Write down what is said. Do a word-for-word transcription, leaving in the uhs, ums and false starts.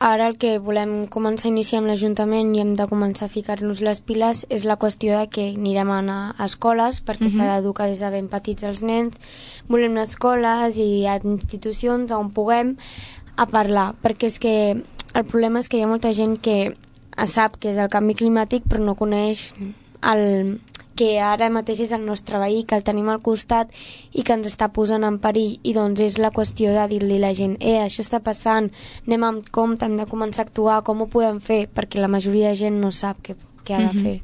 ara el que volem començar a iniciar amb l'Ajuntament i hem de començar a ficar-nos les piles és la qüestió de que anirem a anar a escoles perquè uh-huh. s'ha d'educar des de ben petits els nens. Volem anar a escoles i a institucions on puguem a parlar, perquè és que el problema és que hi ha molta gent que sap que és el canvi climàtic però no coneix el que ara mateix és el nostre veí, que el tenim al costat i que ens està posant en perill, i doncs és la qüestió de dir-li a la gent, eh, això està passant, anem amb compte, hem de començar a actuar, com ho podem fer? Perquè la majoria de gent no sap què, què ha de fer.